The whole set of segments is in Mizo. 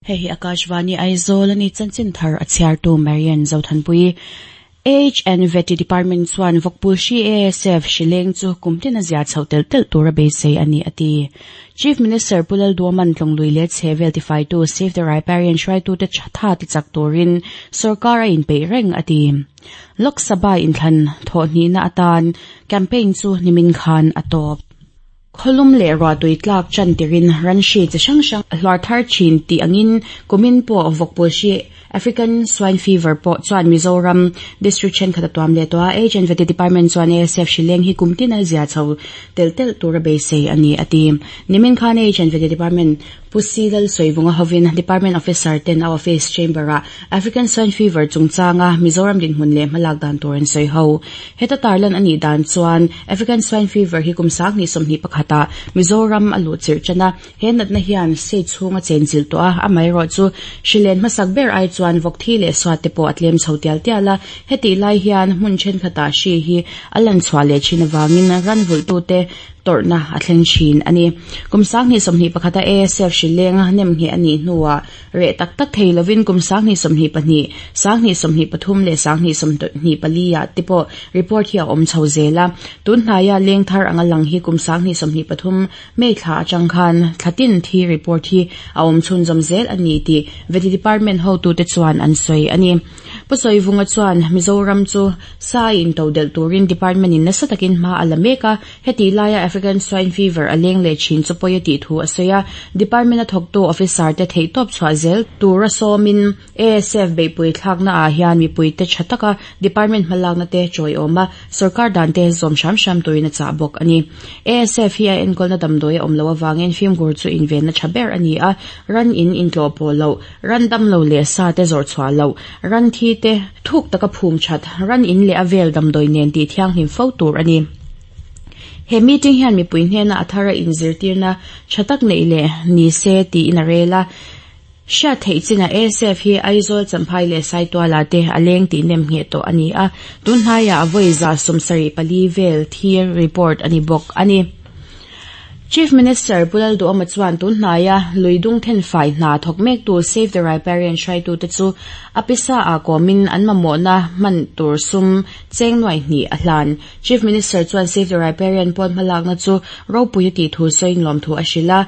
Hei hi Akashvani Aizawl a ni chanchin thar a chhiartu Marian Zothanpui. Age and Vety Department chuan vawkpul hri ASF hrileng chu kum tin a zia chhoh telh telh tur a beisei a ni a ti. Chief Minister Pu Lalduaman Tlawnglui leh chhehvel tifaitu Save the Riparian hruaitute tha tichak turin sorkar a inpeih reng a ti. Lok Sabha inthlan thawhhnihna atan campaign chu nimin khan a tawp. Khawlum leh ruahtui tlak chan tirin ran hri chi hrang hrang a hluar thar thin tih angin kumin pawh vawkpul hri African Swine Fever pawh chuan Mizoram District thenkhat a tuam leh tawh a, Age and Vety Department chuan ASF hri leng hi kum tin a zia chho telh telh tur a beisei a ni a ti. Nimin khan Age and Vety Department Pu Si Lalsawivunga hovin Department Officer ten a Office Chamber-ah African Swine Fever chungchanga Mizoram dinhmun leh hmalak dan tur an sawi ho. Heta tarlan a nih dan chuan African Swine Fever hi kum 2021 ah Mizoram a luh chirh tan a, he natna hian state chhung a chenchilh tawh a, amaherawh chu hrilen hmasak ber ai chuan vawk thi leh suat te pawh a tlem chho tial tial a, hetih lai hian hmun thenkhatah hri hi a lanchhuah leh thin avangin ranvulhtute tawrhna a thleng thin a ni. Kum 2021 a ASF hrileng nemngheh a nih hnuah reh tak tak thei lovin kum 2022, 2023 leh 2024 ah te pawh report hi a awm chho zel a. Tun hnaia leng thar anga lang hi kum 2023 May thla atang khan thla tin thi report hi a awm chhunzawm zel a ni tih Vety Department hotute chuan an sawi a ni. Pu Sawivunga chuan Mizoram chu sa a intodelh turin department in nasa takin hma a la mek a, Hetih laia African Swine Fever a leng leh thin chu pawi a tih thu a sawi a, Department a thawktu officer te theihtawp chhuah zel tura sawmin ASF beihpui thlakna ah hian mipuite tha taka Department hmalakna te chawiawm a, sawrkar dan te zawm hram hram turin a chah bawk a ni. ASF hi a enkawlna damdawi a awm loh avangin fimkhur chu invenna tha ber a ni a, ran in intlawh pawh loh, ran damlo leh sa te zawrh chhuah loh, ran thi te thuk taka phum that, ran in leh a vel damdawi nen tih thianghlim fo tur a ni. He meeting hian mipui hnena a thara inzirtirna tha tak neih leh ni se tiin a rel a. Hriat theih chinah ASF hi Aizawl, Champhai leh Saituala te a leng tih nem ngheh tawh a ni a, tun hnaiah vawi 74 vel thi report a ni bawk a ni. Chief Minister Pu Lalduhawma chuan tun hnaia lui dung thenfai hna thawk mektu Save the Riparian hruaitute chu a pisa ah kawmin an mamawhna hman tur sum cheng nuai hnih a hlan. Chief Minister chuan Save the Riparian pawn hmalakna chu ropui a tih thu sawiin lawmthu a hrilh a,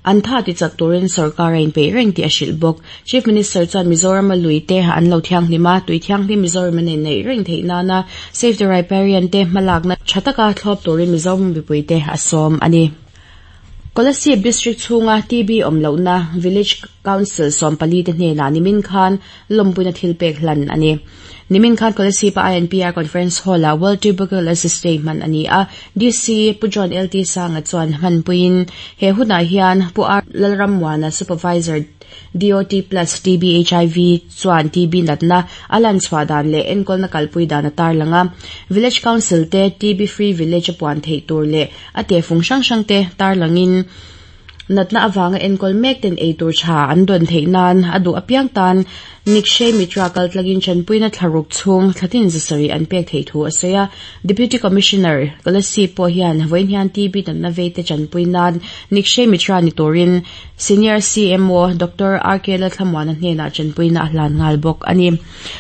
an tha tichak turin sorkar a inpeih reng tih a hrilh bawk. Chief Minister chuan Mizorama lui te an lo thianghlim a, tui thianghlim Mizoram a neih reng theih nana Save the Riparian te hmalakna tha taka thlawp turin Mizo mipuite a sawm a ni. Kolasib District chhunga TB awm lohna Village Council 14 te hnenah nimin khan lawmpuina thil pek hlan a ni. Nimin khan Kolasib-a INPR Conference Hall-ah World Tuberculosis Day hman a ni a, DC Pu John LT Sanga chuan hmanpuiin he hunah hian Pu R Lalrammuana Supervisor DOT Plus TB HIV chuan TB natna a lan chhuah dan leh enkawlna kalpui dan a tarlang a, Village Council te TB Free Village a puan theih tur leh a tehfung hrang hrang te tarlangin natna avanga enkawl mek ten ei tur tha an dawn theih nan a duh apiang tan Nikshay Mitra kaltlangin tanpuina thlaruk chhung thlatin zasarih an pek theih thu a sawi a. Deputy Commissioner Kolasib pawh hian vawiin hian TB natna veite tanpui nan Nikshay Mitra ni turin Senior CMO Doctor RK Lalthlamuana hnenah tanpuina a hlan nghal bawk a ni.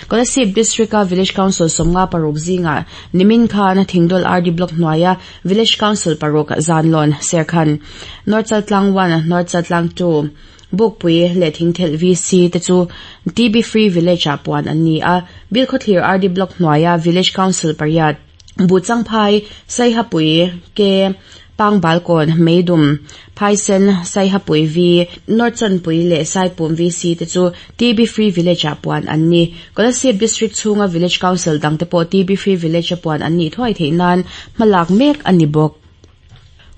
Kolasib District-a Village Council 56 zingah nimin khan Thingdawl RD Block hnuaia Village Council paruk Zanlawn, Serkhan, North Chaltlang 1, North Chaltlang 2, Bukpui leh Thingthelh VC te chu TB Free Village ah puan an ni a, Bilkhawthlir RD Block hnuaia Village Council pariat, Buhchangphai, Saihapui, Ke, Pangbalkawn, Meidum, Phaisen, Saihapui V, North Chawnpui leh Saipum VC te chu TB Free Village ah puan an ni. Kolasib District chhunga Village Council dangte pawh TB Free Village a puan an nih thuai theih nan hmalak mek a ni bawk.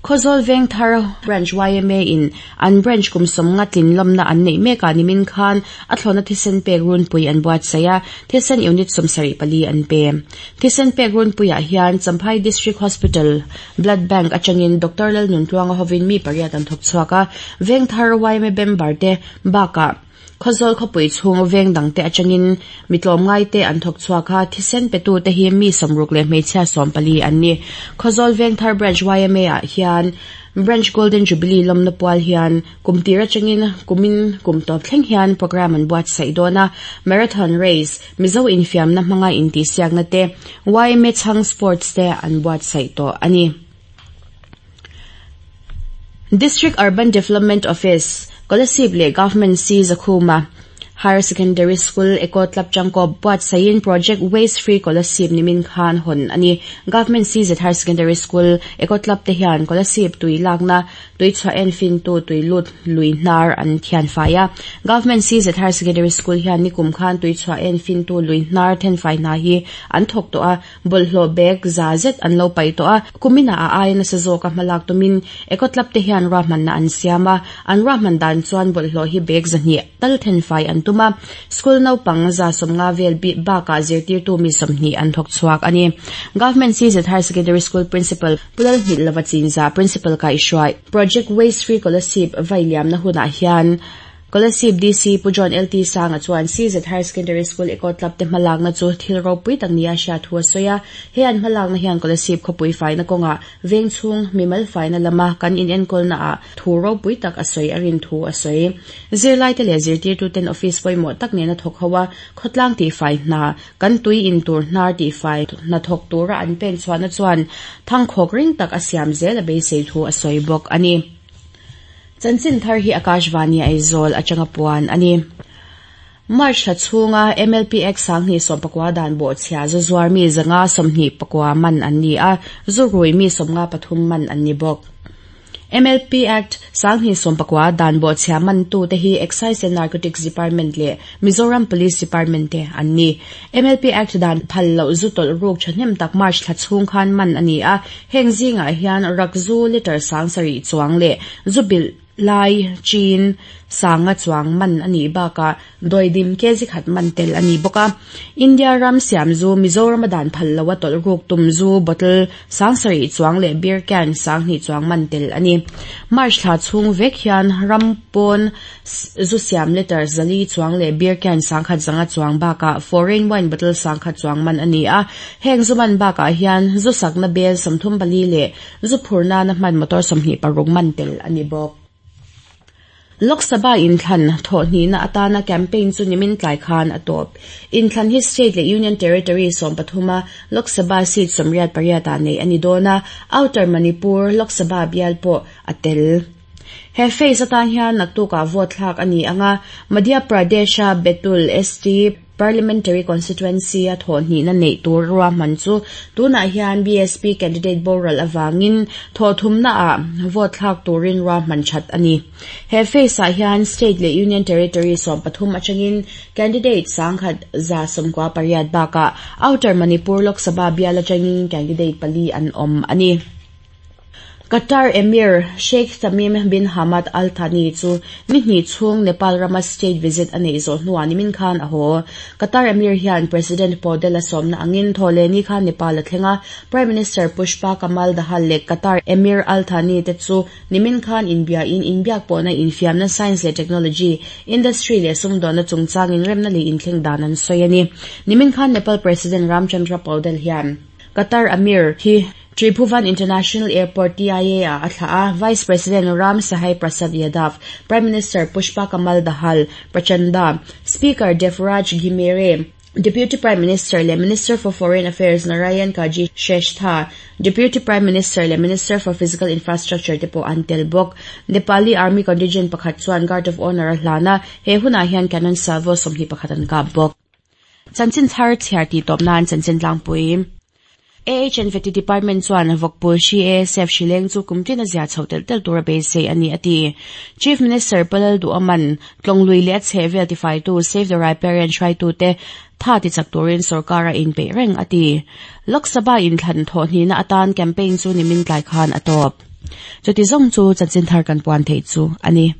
Khawzawl Vengthar Branch yma in an branch kum 50 tlin lawmna an neih mekah nimin khan a thlawhna thisen pek runpui an buatsaih a, thisen unit 74 an pe. Thisen pek runpuiah hian Champhai District Hospital Blood Bank atangin Doctor Lalnuntluanga hovin mi pariat an thawk chhuak a, Vengthar yma member te bakah Khawzawl khawpui chhung veng dangte atangin mi tlawmngaite an thawk chhuak a, thisen petute hi mi 60 leh hmeichhia 14 an ni. Khawzawl Vengthar Branch yma ah hian. Branch Golden Jubilee lawmna pual hian kum tir atangin kumin kum tawp thleng hian programme an buatsaih dawn a, Marathon Race, Mizo infiamna hmanga intihsiakna te, yma chhang Sports te an buatsaih tawh a ni. District Urban Development Office, Kolasib leh Government C Zakhuma Higher Secondary School Eco Club Changkawp buatsaihin Project Waste Free Kolasib nimin khan hawn a ni. Government CZ Higher Secondary School Eco Club te hian Kolasib tui lakna tui chhuah en fintu tui lut lui hnar an thian fai a. Government CZ Higher Secondary School hian nikum khan tui chhuah en fintu lui hnar thenfai hna hi an thawk tawh a, bawlhhlawh bag za zet an lo paih tawh a. Kumina a aia nasa zawka hmalak tumin Eco Club te hian ruahmanna an siam a, an ruahman dan chuan bawlhhlawh hi bag zahnih tal thenfai an tum a, school naupang 150 vel bakah zirtirtu mi 20 an thawk chhuak a ni. Government CZ Higher Secondary School Principal Pu Lalhngilh Lova Chinza Principal kaihhruai Project Waste Free Kolasib vailiamna hunah hian Kolasib DC Pu John LT Sanga chuan CZ Higher Secondary School Eco Club te hmalakna chu thil ropui tak nia hriat thu a sawi a, he an hmalakna hian Kolasib khawpui faina kawngah veng chhung mimal faina lama kan inenkawlna ah thu ropui tak a sawi a rin thu a sawi. Zirlaite leh zirtirtuten office pawimawh tak nena thawk ho a, khawtlang tihfai hna, kan tui in tur hnar tihfai hna thawk tura an pen chhuahna chuan thangkhawk ring tak a siam zel a beisei thu a sawi bawk a ni. Chanchin thar hi Akashvani Aizawl atanga puan a ni. March thla chhunga MLPX 2019 dan bawhchhia zu zuar mi 529 man an ni a, zu rui mi 53 man an ni bawk. MLP Act 2019 dan bawhchhia mantute hi Excise and Narcotics Department leh Mizoram Police Department te an ni. MLP Act dan phal loh zu tawlh ruk thahnem tak March thla chhung khan man a ni a, heng zingah hian rakzu litre 7,000 chuang leh zu bilh lai chin 5,000 chuang man a nih bakah dawidim kg khat man tel a ni bawk a. India ram siam zu Mizorama dan phal loha tawlh ruk tum zu bottle 7,000 chuang leh beer can 2,000 chuang man tel a ni. March thla chhung vek hian ram pawn zu siam litre 400 chuang leh beer can 1,100 chuang bakah foreign wine bottle 1,000 chuang man a ni a. Heng zu man bakah hian zu sakna bel 34 leh zu phur nana hman motor 26 man tel a ni bawk. Lok Sabha inthlan thawhhnihna atana campaign chu nimin tlai khan a tawp. Inthlan hi state leh union territory 13 a Lok Sabha seat 88 ah neih a ni dawn a, Outer Manipur Lok Sabha bial pawh a tel. He phase atan hian naktukah vote thlak a ni ang a, Madhya Pradesh-a Betul ST Parliamentary Constituency a thawhhnihna neih tur ruahman chu tunah hian BSP candidate boral avangin thawhthumnaah vote thlak turin ruahman that a ni. He phase ah hian state leh union territory 13 atangin candidate 1,198 bakah Outer Manipur Lok Sabha bial atangin candidate pali an awm a ni. Qatar Emir Sheikh Tamim bin Hamad Al Thani chu ni hnih chhung Nepal rama state visit a neih zawh hnuah nimin khan a haw. Qatar Emir hian President Paudel a sawmna angin Thawhlehni khan Nepal a thleng a, Prime Minister Pushpa Kamal Dahal leh Qatar Emir Al Thani te chu nimin khan inbiain inbiak pawhna infiamna science leh technology, industry leh sumdawnna chungchangin remna leh inthleng dan an sawi a ni. Nimin khan Nepal President Ramchandra Paudel hian Qatar Amir hi Tribhuvan International Airport, TIA, ah a thlah a, Vice President Ram Sahai Prasad Yadav, Prime Minister Pushpa Kamal Dahal, Prachanda, Speaker Devraj Ghimire, Deputy Prime Minister leh Minister for Foreign Affairs Narayan Kaji Shrestha, Deputy Prime Minister leh Minister for Physical Infrastructure te pawh an tel bawk. Nepali Army contingent pakhat chuan Guard of Honour a hlan a, he hunah hian Cannon Salvo 21 an kap bawk. Chanchin thar chhiar tih tawp nan chanchin tlangpui. AHNVT Department chuan Vawkpul hri ASF hri leng chu kum tin a zia chho telh telh tur a beisei a ni a ti. Chief Minister Palal Duaman, Tlawnglui leh a chhehvel tifaitu Save the Riparian hruaitute tha tichak turin sorkar a inpeih reng a ti. Lok Sabha inthlan thawhhnihna atan campaign chu nimin tlai khan a tawp. Chuti zawng chu chanchin thar kan puan theih chu a ni.